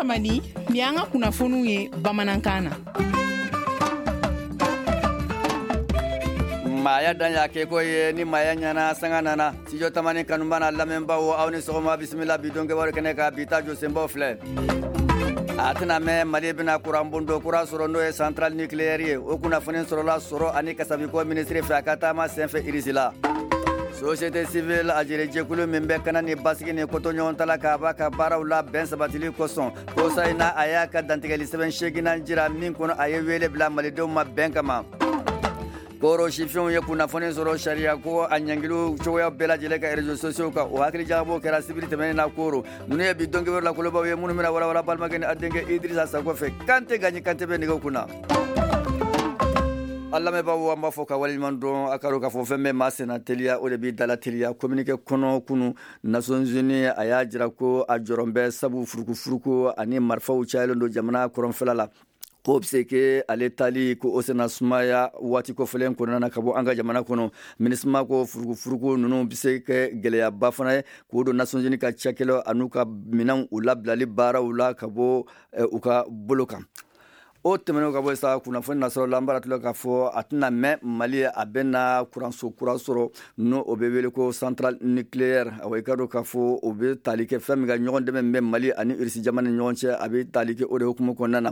Tamani, nin y'an ka kunnafoniw ye bamanankan na. Maaya dan y'a kɛko ye, ni maaya ɲɛna, sanga nana. Studio Tamani kanuba n'a lamɛnbaw, aw ni sɔgɔma, bisimila bi don kibaru kɛnɛ kan. Bi ta jɔsenbaw filɛ: a tɛna mɛn, Mali bɛna kuranbondo kura sɔrɔ, n'o ye centrale nucléaire ye. O kunnafoni sɔrɔla sɔrɔ ani kasabiko minisiri fɛ a ka taama senfɛ Irisila. Société civile a jɛrɛjɛkulu min bɛ kana ni basigi ni kotoɲɔgɔn k'a b'a ka baaraw la bɛn sabatili kosɔn, kosa in na, a y'a ka dantigɛli sɛbɛn seeginnan jira min kɔnɔ, a ye wele bila malidenw ma bɛn kama. Koro sifinw ye kunnafoni sɔrɔ sariya ko a ɲangiliw cogoya bɛɛ lajɛlen ka réseaux sociaux kan, o hakili jagabɔ kɛra sibiri tɛmɛnen na Koro. Ninnu ye bi don kibaru la kolobaw ye minnu bɛna walawala balimakɛ ni a denkɛ Idrissa Sako fɛ. Kante Gaɲi Kante bɛ nɛgɛw kunna. An lamɛnbaaw, an b'a fɔ ka waleɲuman dɔn. A ka dɔn k'a fɔ fɛn bɛɛ maa senna teliya, o de b'i dala teliya. Communiqué kɔnɔ kunu, Nations Unies a y'a jira ko a jɔrɔn bɛ, sabu furukufuruku ani marifaw cayalen don jamana kɔrɔnfɛla la, ko bɛ se ke ale tali ko o sena sumaya waati kɔfɛlen kɔnɔna na ka bɔ an ka jamana kɔnɔ. MINUSMA ko furukufuruku ninnu bɛ se kɛ gɛlɛyaba fana ye k'o don Nations Unies ka cakɛlaw an'u ka minɛnw u labilali baaraw la ka bɔ u ka bolo kan. O tɛmɛnen ka bɔ sa, kunnafoni nasɔrɔ la, an b'a tila k'a fɔ a tɛna mɛn, Mali a bɛna kuranso kura sɔrɔ, n'o o bɛ wele ko centrale nucléaire. Awa, i ka dɔn k'a fɔ o bɛ tali kɛ fɛn min ka ɲɔgɔn dɛmɛ bɛ Mali ani Irisi jamana ni ɲɔgɔn cɛ, a bɛ tali kɛ o de hukumu kɔnɔna na.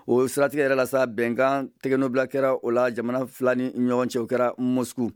O siratigɛ yɛrɛ la sa, bɛnkan tɛgɛnɔbila kɛra o la jamana fila ni ɲɔgɔn cɛ, o kɛra Moscou.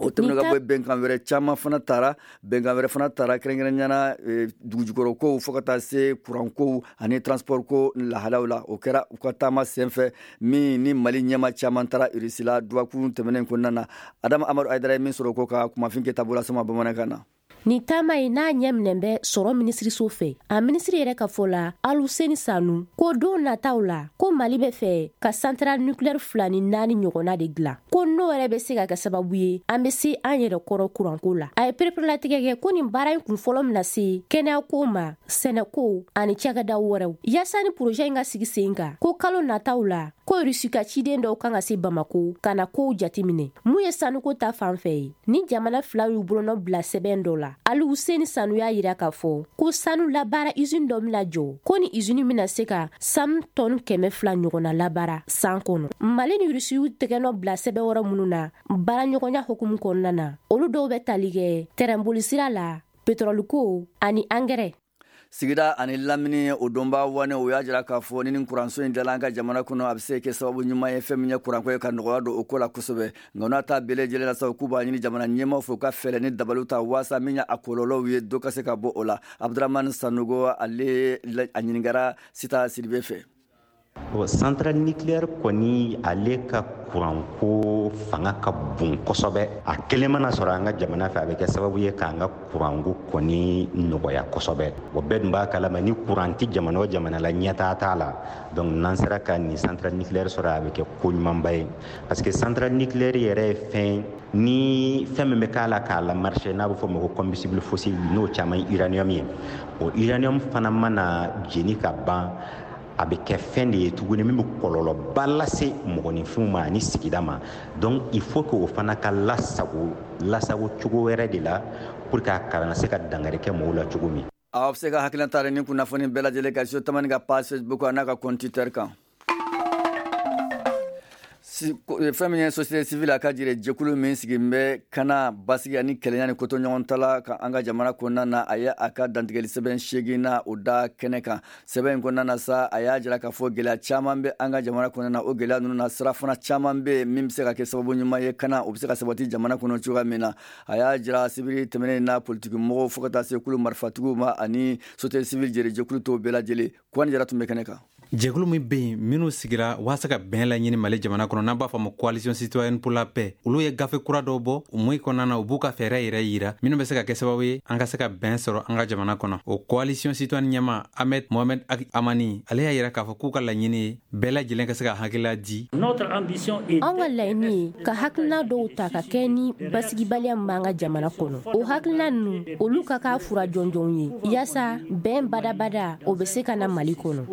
O tɛmɛnen ka bɔ, bɛnkan wɛrɛ caman fana taara, bɛnkan wɛrɛ fana taara, kɛrɛnkɛrɛnnenya dugujukɔrɔ kow fo ka taa se kurankow ani transport ko lahalaw la. O kɛra u ka taama senfɛ min ni Mali ɲɛma caman taara Irisila dɔgɔkun tɛmɛnen kɔnɔna na. Adama Amadu Ayidara ye min sɔrɔ ko ka kumafin kɛ taabolo sama bamanankan na. Nin taama in n'a ɲɛminɛ bɛ sɔrɔ minisiriso fɛ, a minisiri yɛrɛ ka fɔ la, Aluseni Sanu, ko don nataw la, ko Mali bɛ fɛ ka centrale nucléaire fila ni naani ɲɔgɔnna de dilan, ko n'o yɛrɛ bɛ se ka kɛ sababu ye an bɛ se an yɛrɛ kɔrɔ kuranko la. A ye pereperelatigɛ kɛ ko nin baara in kun fɔlɔ bɛna se kɛnɛyako ma, sɛnɛko ani cakɛdaw wɛrɛw. Yaasa ni projet in ka sigi sen kan, ko kalo nataw la, ko Rusi ka ciden dɔw kan ka se Bamako ka na kow jateminɛ. Mun ye sanuko ta fan fɛ ye, ni jamana fila y'u bolonɔ bila sɛbɛn dɔ la, Aluseni Sanu y'a yira k'a fɔ ko sanu labaara usine dɔ bɛna jɔ, ko ni usine bɛna se ka sanu tɔni 200 ɲɔgɔnna labaara san kɔnɔ. Mali ni Rusi y'u tɛgɛnɔ bila sɛbɛn wɛrɛ minnu na baaraɲɔgɔnya hukumu kɔnɔna na, olu dɔw bɛ tali kɛ tɛrɛnbolisira la, pétrole ani angɛrɛ. Sigida ani lamini o donba wane, o y'a jira k'a fɔ ni nin kuranso in dala an ka jamana kɔnɔ, a bɛ se kɛ sababu ɲuman ye fɛn min ye kuranko ye, ka nɔgɔya don o ko la kosɛbɛ. Nka n'a ta bɛɛ lajɛlen la sa, k'u b'a ɲini jamana ɲɛmaw fɛ, u ka fɛɛrɛ ni dabaliw ta waasa min ye a kɔlɔlɔw ye, dɔ ka se ka bɔ o la. Abdramane Sanogo, ale a ɲininkara Sita Sidibe fɛ. Bon, centrale nucléaire kɔni, ale ka kuranko fanga ka bon kosɛbɛ. A kelen mana sɔrɔ an ka jamana fɛ, a bɛ kɛ sababu ye k'an ka kuranko kɔni nɔgɔya kosɛbɛ. O bɛɛ dun b'a kalama, ni kuran tɛ jamana o jamana la, ɲɛtaa t'a la. Donc n'an sera ka nin centrale nucléaire sɔrɔ, a bɛ kɛ ko ɲumanba ye, parce que centrale nucléaire yɛrɛ ye fɛn ni fɛn min bɛ k'a la k'a la marché, n'a bɛ fɔ o ma ko combustible fossile, n'o caman ye uranium ye. O uranium fana mana jeni ka ban, a bɛ kɛ fɛn de ye tuguni min bɛ kɔlɔlɔba lase mɔgɔninfinw ma ani sigida ma. Donc il faut que o fana ka lasago, lasago cogo wɛrɛ de la, pour que a kana se ka dankari kɛ mɔgɔw la cogo min. Aw bɛ se ka hakilina ta ni kunnafoni bɛɛ lajɛlen kan so Tamani ka page Facebook a n'a ka compte Twitter kan. Fɛn min ye société civile a ka jire jɛkulu min sigin bɛ kana basigi ani kɛlɛya ni kotoɲɔgɔn ka an ka jamana kɔnɔna na, a ye a ka dantigɛli sɛbɛn seegin na o da kɛnɛ kan. Sɛbɛn in kɔnɔna na sa, a y'a jira k'a fɔ gɛlɛya caman bɛ an ka jamana kɔnɔna na. O gɛlɛya ninnu na, sira fana caman bɛ yen min bɛ se ka kɛ sababu ɲuman ye kana o bɛ se ka sabati jamana kɔnɔ cogoya min na. A y'a jira sibiri tɛmɛnen na politiki mɔgɔw fo ka taa se kulu marifatigiw ma ani société civile jɛrɛ jɛkulu tɔw bɛɛ lajɛlen. Kwani Jara tun bɛ kɛnɛ kan. Jɛkulu min bɛ yen minnu sigira waasa ka bɛn laɲini Mali jamana kɔnɔ, n'an b'a fɔ ma Coalition citoyenne pour la paix, olu ye gafe kura dɔw bɔ. O mun kɔnɔna na, u b'u ka fɛɛrɛ yɛrɛ yira minnu bɛ se ka kɛ sababu ye an ka se ka bɛn sɔrɔ an ka jamana kɔnɔ. O coalition citoyenne ɲɛma Ahmed Mohamed Amani, ale y'a yira k'a fɔ k'u ka laɲini ye bɛɛ lajɛlen ka se ka hakilila di. Anw ka laɲini ye ka hakilina dɔw ta ka kɛ ni basigibaliya min b'an ka jamana kɔnɔ, o hakilina ninnu, olu ka k'a fura jɔnjɔnw ye yaasa bɛn badabada o bɛ se ka na Mali kɔnɔ.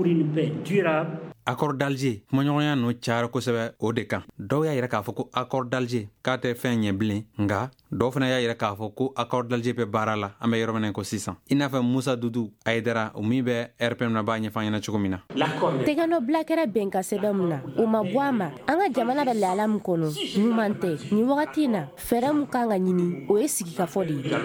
Accord d'Alger kumaɲɔgɔnya ninnu cayara kosɛbɛ o de kan. Dɔw y'a yira k'a fɔ ko accord d'Alger k'a tɛ fɛn ɲɛ bilen, nka dɔw fana y'a yira k'a fɔ ko accord d'Alger bɛ baara la an bɛ yɔrɔ min na ko sisan. I n'a fɔ Musa Dudu Ayidara, o min bɛ RPM na, b'a ɲɛfɔ an ɲɛna cogo min na. Tɛgɛnɔbila kɛra bɛnkan sɛbɛn mun na, o ma bɔ a ma. An ka jamana bɛ lahala min kɔnɔ, ɲuman tɛ nin wagati in na. Fɛɛrɛ mun kan ka ɲini, o ye sigikafɔ de ye.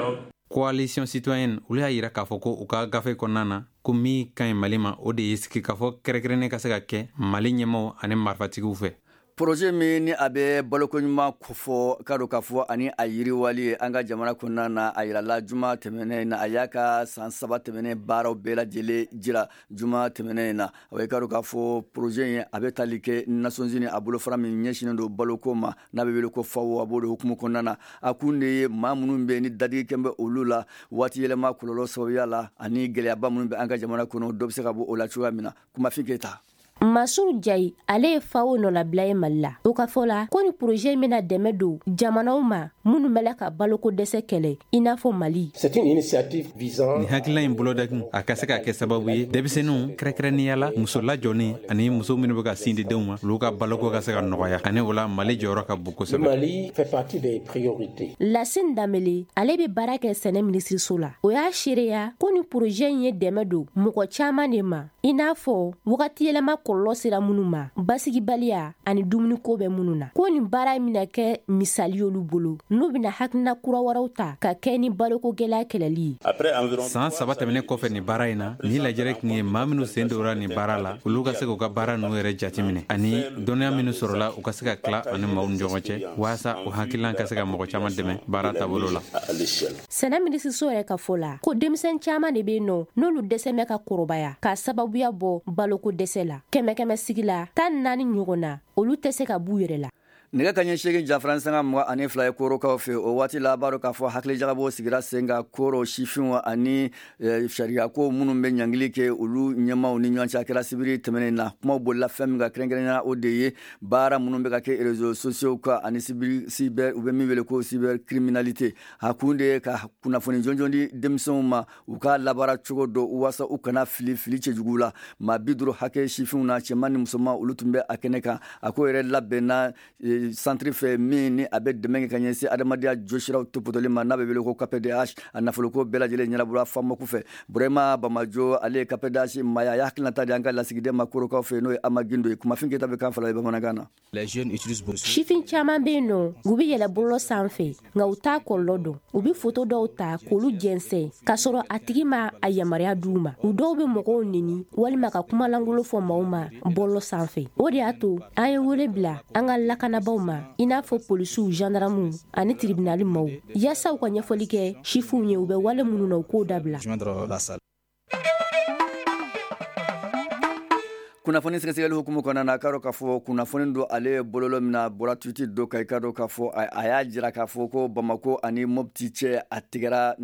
Coalition citoyenne, olu y'a yira k'a fɔ ko u ka gafe kɔnɔna na, ko min ka ɲi Mali ma, o de ye sigikafɔ kɛrɛnkɛrɛnnen ka se ka kɛ Mali ɲɛmaw ani marifatigiw fɛ. Projet min ni a bɛ balokoɲuman kofɔ, ka don k'a fɔ ani a yiriwali ye an ka jamana kɔnɔna na, a yirala juma tɛmɛnen na. A y'a ka san 3 tɛmɛnen baaraw bɛɛ lajɛlen jira juma tɛmɛnen na. O ye ka don k'a fɔ projet in, a bɛ tali kɛ Nations Unies a bolofara min ɲɛsinnen don baloko ma, n'a bɛ wele ko FAO, a b'o de hukumu kɔnɔna na. A kun de ye maa minnu bɛ ni dadigikɛ bɛ olu la waati yɛlɛma kɔlɔlɔ sababuya la, ani gɛlɛyaba minnu bɛ an ka jamana kɔnɔ, dɔ bɛ se ka bɔ o la cogoya min na. Kumafin Keyita. Masuru Jayi, ale ye FAO nɔlabila ye Mali la. O ka fɔ la ko ni projet in bɛna dɛmɛ don jamanaw ma minnu bɛ la ka baloko dɛsɛ kɛlɛ, i n'a fɔ Mali. C'est une initiative visant Nin hakilina in bolodakun, a ka se ka kɛ sababu ye denmisɛnninw, kɛrɛnkɛrɛnnenya la muso lajɔlen ani muso minnu bɛ ka sin di denw ma, olu ka baloko ka se ka nɔgɔya. Ani o la, Mali jɔyɔrɔ ka bon Le kosɛbɛ. Mali fait partie des priorités. Lasine Danbele, ale bɛ baara kɛ sɛnɛ minisiriso la. O y'a seereya ko ni projet in ye dɛmɛ don mɔgɔ caman de ma, i n'a fɔ wagati yɛlɛma kɔlɔlɔ sera minnu ma, basigibaliya ani dumuniko bɛ minnu na. Ko nin baara in bɛna kɛ misali y'olu bolo, n'u bɛna hakilina kura wɛrɛw ta ka kɛ ni baloko gɛlɛya kɛlɛli ye. San 3 tɛmɛnen kɔfɛ nin baara in na, nin lajɛrɛ tun ye maa minnu sen dora nin baara la, olu ka se k'u ka baara ninnu yɛrɛ jateminɛ, ani dɔnniya minnu sɔrɔla, u ka se ka tila ani maaw ni ɲɔgɔn cɛ, walasa o hakilina ka se ka mɔgɔ caman dɛmɛ baara taabolo la. Sɛnɛ minisiriso yɛrɛ ka fɔ la ko denmisɛn caman de bɛ yen nɔ, n'olu dɛsɛ bɛ ka kɔrɔbaya k'a sababuya bɔ baloko dɛsɛ la. Kɛmɛ kɛmɛ sigi la, 14 ɲɔgɔn na, olu tɛ se ka b'u yɛrɛ la. Nɛgɛ ka ɲɛ 8:22 ye korokaw fɛ. O waati la, b'a dɔn k'a fɔ hakilijagabɔ sigira sen kan koro sifinw ani sariyako minnu bɛ ɲangili kɛ, olu ɲɛmaw ni ɲɔgɔn cɛ. A kɛra sibiri tɛmɛnen na. Kumaw bolila fɛn min kan kɛrɛnkɛrɛnnenya, o de ye baara minnu bɛ ka kɛ réseaux sociaux kan ani cyber, u bɛ min wele ko cybercriminalité. A kun de ye ka kunnafoni jɔnjɔn di denmisɛnw ma, u ka labaara cogo dɔn, walasa u kana fili fili cɛjugu la. Maa 50 hakɛ, sifinw na, cɛman ni musoman, olu tun bɛ a kɛnɛ kan. A ko yɛrɛ labɛnna centre fɛ min ni a bɛ dɛmɛ kɛ ka ɲɛsin adamadenya jɔsiraw topotɔli ma, n'a bɛ wele ko KPDH. A nafoloko bɛɛ lajɛlen ɲɛnabɔra FAMACO fɛ. Burema Bamajo, ale ye KPDH maaya, a y'a hakilinata di an ka lasigiden ma korokaw fɛ, n'o ye Ama Gindo ye. Kumafin Keyita bɛ kan fila ye bamanankan na. Sifin caman bɛ yen nɔ, u bɛ yɛlɛ bɔlɔlɔ sanfɛ, nka u t'a kɔlɔlɔ dɔn. U bɛ foto dɔw ta k'olu jɛnsɛn k'a sɔrɔ a tigi ma a yamaruya d'u ma. U dɔw bɛ mɔgɔw neni walima ka kumalankolon fɔ maaw ma bɔlɔlɔ sanfɛ. O de y'a to an ye wele bila an ka lakanabaw ma, i n'a fɔ polisiw, gendarmew ani tribunal maaw, yaasa u ka ɲɛfɔli kɛ sifinw ye, u bɛ wale minnu na, u k'o dabila. Kunnafoni sɛgɛsɛgɛli hukumu kɔnɔna na, a ka dɔn k'a fɔ kunnafoni don, ale ye bololo min na, bɔra tweet dɔ kan. I ka dɔn k'a fɔ a y'a jira k'a fɔ ko Bamako ani Mopti cɛ, a tigɛra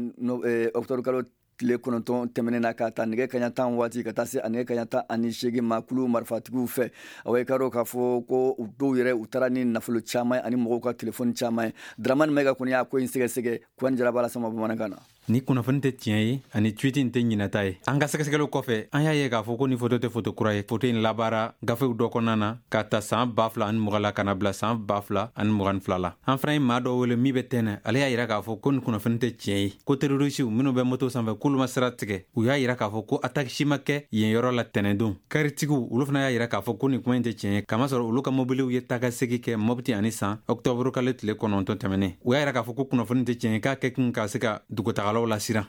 octobre kalo tile 9 tɛmɛnen na, ka taa nɛgɛ kaɲa 10 waati ka taa se a nɛgɛ kaɲa 18 ma, kulu marifatigiw fɛ. Awa, i ka dɔn k'a fɔ ko u dɔw yɛrɛ, u taara ni nafolo caman ye ani mɔgɔw ka telefɔni caman ye. Dramani Mayiga kɔni y'a ko in sɛgɛsɛgɛ. Kuwani Jaraba lasama bamanankan na. Ni kunnafoni tɛ tiɲɛ ye ani tweet in tɛ ɲinata ye. An ka sɛgɛsɛgɛliw kɔfɛ, an y'a ye k'a fɔ ko ni foto tɛ foto kura ye. Foto in labaara gafew dɔ kɔnɔna na ka ta saan 2020 la ka na bila saan 2022 la. An fana ye maa dɔ wele min bɛ tɛnɛ, ale y'a yira k'a fɔ ko ni kunnafoni tɛ tiɲɛ ye, ko terroristew minnu bɛ moto sanfɛ, k'olu ma sira tigɛ. U y'a yira k'a fɔ ko attaque si ma kɛ yen yɔrɔ la tɛnɛndon. Karitigiw, olu fana y'a yira k'a fɔ ko nin kuma in tɛ tiɲɛ ye, kamasɔrɔ olu ka mobiliw ye taga segi kɛ Mɔpti ani San octobre kalo tile 9 tɛmɛnen. U y'a yira k'a fɔ ko kunnafoni tɛ tiɲɛ ye, k'a kɛ kun ka se ka dugutagalaw lasiran.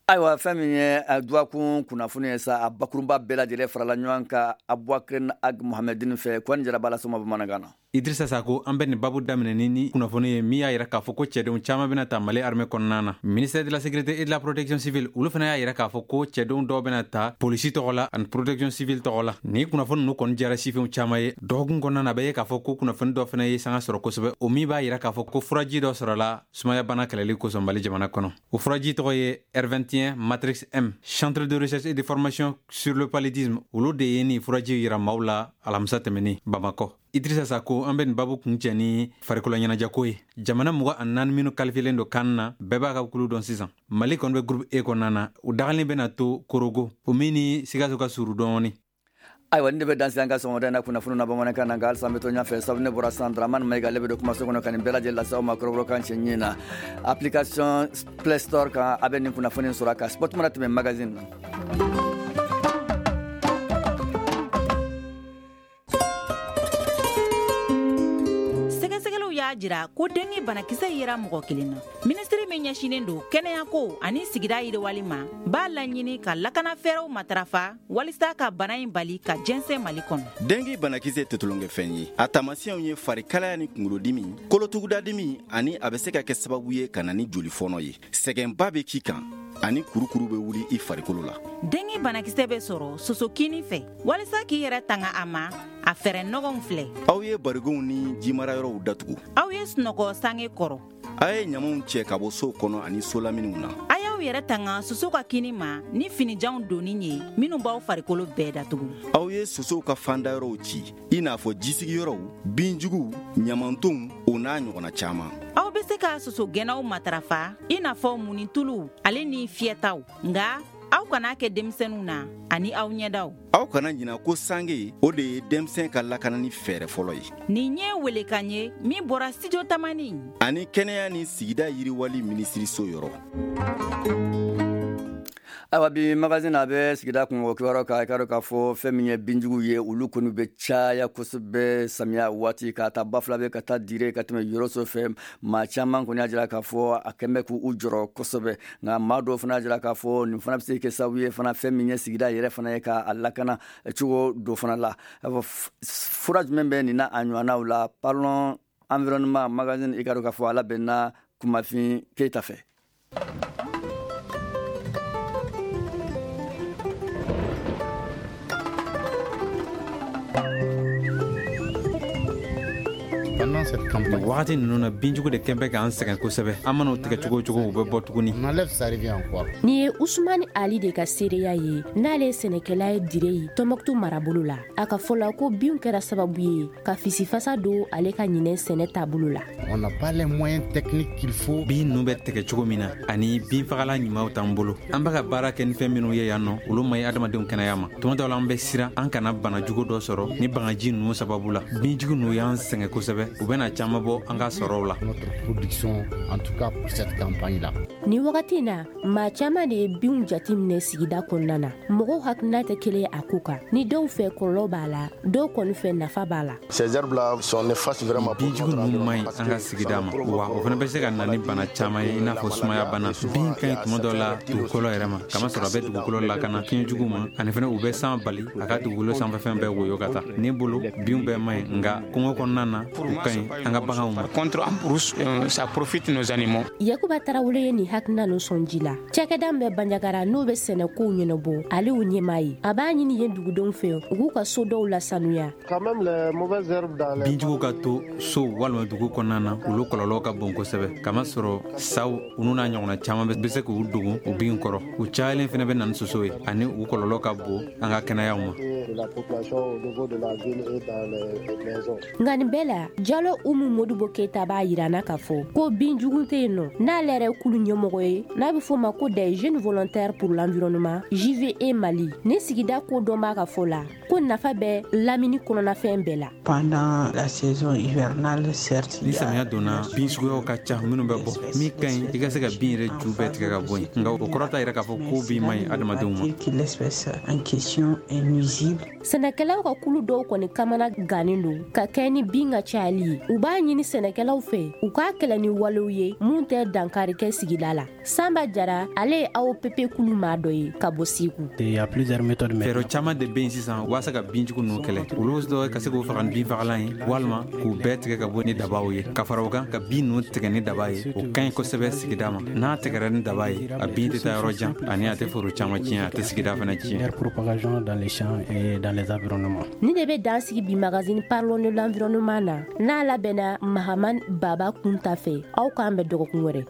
Ayiwa, fɛn min ye dɔgɔkun kunnafoni ye sa, a bakurunba bɛɛ lajɛlen farala ɲɔgɔn kan Abubakar Ag Mohamedine fɛ. Kɔni Jaraba lasama bamanankan na. Idrissa Sako, an bɛ nin babu daminɛ ni kunnafoni ye min y'a yira k'a fɔ ko cɛdenw caman bɛna ta Mali armée kɔnɔna na. Ministère de la Sécurité et de la Protection civile, olu fana y'a yira k'a fɔ ko cɛdenw dɔw bɛna ta polisi tɔgɔ la ani protection civile tɔgɔ la. Ni kunnafoni ninnu kɔni diyara sifinw caman ye. Dɔgɔkun kɔnɔna na, a bɛ ye k'a fɔ ko kunnafoni dɔ fana ye sanga sɔrɔ kosɛbɛ, o min b'a yira k'a fɔ ko furaji dɔ sɔrɔla sumayabana kɛlɛli kosɔn Mali jamana kɔnɔ. O furaji tɔgɔ ye R21 Matrix M. Centre de recherche et de formation sur le paludisme, olu de ye nin furaji yira maaw la alamisa tɛmɛnen Bamakɔ. Idrissa Sako, an bɛ nin babu kun cɛ ni farikolo ɲɛnajɛko ye. Jamana 24 minnu kalifiyelen don CAN na, bɛɛ b'a ka kulu dɔn sisan. Mali kɔni bɛ groupe E kɔnɔna na, u dagalen bɛna to Korogo, o min ni Sikaso ka suru dɔɔni. Ayiwa, nin de bɛ dan se an ka sɔgɔmada in na kunnafoni na bamanankan na. Nka halisa an bɛ to ɲɛfɛ, sabu ne bɔra san, Dramane Mayiga, ale bɛ don kumaso kɔnɔ ka nin bɛɛ lajɛlen lase aw ma kɔrɔbɔrɔkan cɛɲi na. Application Play Store kan, a bɛ nin kunnafoni sɔrɔ a kan. Sport mana tɛmɛ magazine na. Sɛgɛsɛgɛliw y'a jira ko dengue banakisɛ yera mɔgɔ kelen na. Minisiri min ɲɛsinnen don kɛnɛyako ani sigida yiriwali ma b'a laɲini ka lakana fɛɛrɛw matarafa walisa ka bana in bali ka jɛnsɛn Mali kɔnɔ. Dengue banakisɛ tɛ tulonkɛfɛn ye. A taamasiyɛnw ye farikalaya ni kunkolodimi, kolotugudadimi, ani a bɛ se ka kɛ sababu ye ka na ni jolifɔnɔ ye. Sɛgɛnba bɛ k'i kan ani kurukuru bɛ wuli i farikolo la. Dengue banakisɛ bɛ sɔrɔ sosokini fɛ. Walisa k'i yɛrɛ tanga a ma, a fɛɛrɛ nɔgɔnw filɛ: Aw ye barigonw ni jimarayɔrɔw datugu. Aw ye sunɔgɔ sange kɔrɔ. A ye ɲamaw cɛ ka bɔ sow kɔnɔ ani solaminiw na. A y'aw yɛrɛ tanga soso ka kini ma ni finijanw donni ye minnu b'aw farikolo bɛɛ datugu. Aw ye sosow ka fandayɔrɔw ci, i n'a fɔ jisigiyɔrɔw, binjuguw, ɲamantonw, o n'a ɲɔgɔnna caman. Aw bɛ se ka sosogɛnnaw matarafa, i n'a fɔ munituluw ale ni fiyɛtaw, nka aw kana kɛ denmisɛnninw na ani aw ɲɛdaw. Aw kana ɲina ko sange, o de ye denmisɛn ka lakanani fɛɛrɛ fɔlɔ ye. Nin ye welekan ye min bɔra Studio Tamani ani kɛnɛya ni sigida yiriwali minisiriso yɔrɔ. Ayiwa, bi magazine a bɛ sigida kungo kibaruyaw kan. I ka dɔn k'a fɔ fɛn min ye binjugu ye, olu kɔni bɛ caya kosɛbɛ samiya waati, ka taa Bafulabe, ka taa Dire, ka tɛmɛ Yoroso fɛ. Maa caman kɔni y'a jira k'a fɔ a kɛn bɛ k'u jɔrɔ kosɛbɛ. Nka maa dɔw fana y'a jira k'a fɔ nin fana bɛ se kɛ sababu ye fana, fɛn min ye sigida yɛrɛ fana ye, k'a lakana cogo dɔ fana la. Fura jumɛn bɛ nin na a ɲɔgɔnnaw la? Parlons environnement magazine, i ka dɔn k'a fɔ a labɛnna Kumafin Keyita fɛ. Wagati ninnu na, binjugu de kɛn bɛ k'an sɛgɛn kosɛbɛ. An man'o tigɛ cogo o cogo, u bɛ bɔ tuguni. Nin ye Usumani Ali de ka seereya ye, n'ale ye sɛnɛkɛla ye Dire ye, Tɔnbɔkutu marabolo la. A ka fɔ la ko binw kɛra sababu ye ka fisifasa don ale ka ɲinɛ sɛnɛ taabolo la. Bin ninnu bɛ tigɛ cogo min na, ani binfagalan ɲumanw t'an bolo. An bɛ ka baara kɛ ni fɛn minnu ye yan nɔ, olu ma ɲi adamadenw kɛnɛya ma. Tuma dɔw la, an bɛ siran an kana bana jugu dɔ sɔrɔ ni bagaji ninnu sababu la. Binjugu ninnu y'an sɛgɛn kosɛbɛ, u bɛna caman bɔ an ka sɔrɔw la. Nin wagati in na, maa caman de ye binw jateminɛ sigida kɔnɔna na. Mɔgɔw hakilina tɛ kelen ye a ko kan. Ni dɔw fɛ kɔlɔlɔ b'a la, dɔw kɔni fɛ nafa b'a la. Binjugu ninnu man ɲi an ka sigida ma wa, o fana bɛ se ka na ni bana caman ye, i n'a fɔ sumaya bana. Bin ka ɲi tuma dɔw la dugukolo yɛrɛ ma, kamasɔrɔ a bɛ dugukolo lakana fiɲɛ jugu ma, ani fana u bɛ san bali a ka dugukolo sanfɛfɛn bɛɛ woyo ka taa. Ne bolo, binw bɛɛ man ɲi, nka kungo kɔnɔna na, u ka ɲi an ka baganw ma. Ça profite nos animaux. Yakuba Tarawele ye nin hakilina ninnu sɔn ji la. Cakɛda min bɛ Banjagara, n'o bɛ sɛnɛkow ɲɛnabɔ, ale y'o ɲɛmaa ye. A b'a ɲini yen dugudenw fɛ, u k'u ka so dɔw lasanuya. Binjugu ka to so walima dugu kɔnɔna na, olu kɔlɔlɔ ka bon kosɛbɛ, kamasɔrɔ saw, olu n'a ɲɔgɔnna caman bɛ se k'u dogo u bin kɔrɔ. U cayalen fana bɛ na ni soso ye, ani u kɔlɔlɔ ka bon an ka kɛnɛyaw ma. Nka nin bɛɛ la, Jalo Umu Modibo Keyita b'a yira na k'a fɔ ko binjugu tɛ yen nɔ, n'ale yɛrɛ kulu ɲɛmɔgɔ ye n'a bɛ f'o ma ko des jeunes volontaires pour l'environnement, JVE Mali. Ni sigida ko dɔn b'a ka fɔ la ko nafa bɛ lamini kɔnɔnafɛn bɛɛ la. Pendant la saison hivernale, certes, Ni samiya donna, bin suguyaw ka ca minnu bɛ bɔ. Min ka ɲi, i ka se ka bin yɛrɛ ju bɛɛ tigɛ ka bɔ yen, nka o kɔrɔ t'a yɛrɛ k'a fɔ ko bin man ɲi adamadenw ma. Que l'espèce en question est nuisible. Sɛnɛkɛlaw ka kulu dɔw kɔni kamana gannen don ka kɛ ni bin ka cayali ye. U b'a ɲini sɛnɛkɛlaw fɛ, u k'a kɛlɛ ni walew ye mun tɛ dankari kɛ sigida la. Sanba Jara, ale ye AOPP kulu maa dɔ ye ka bɔ Segu. Fɛɛrɛ caman de bɛ yen sisan walasa ka binjugu ninnu kɛlɛ. Olu dɔ ka se k'u faga ni binfagalan ye, walima k'u bɛɛ tigɛ ka bɔ ni dabaw ye. Ka fara o kan, ka bin ninnu tigɛ ni daba ye, o ka ɲi kosɛbɛ sigida ma. N'a tigɛra ni daba ye, a bin tɛ taa yɔrɔ jan, ani a tɛ foro caman tiɲɛ, a tɛ sigida fana tiɲɛ. Ni de bɛ dan sigi bi magazine Parlons de l'environnement na, n'a labɛnna Mahaman Baba Kunta fɛ. Aw k'an bɛn dɔgɔkun wɛrɛ.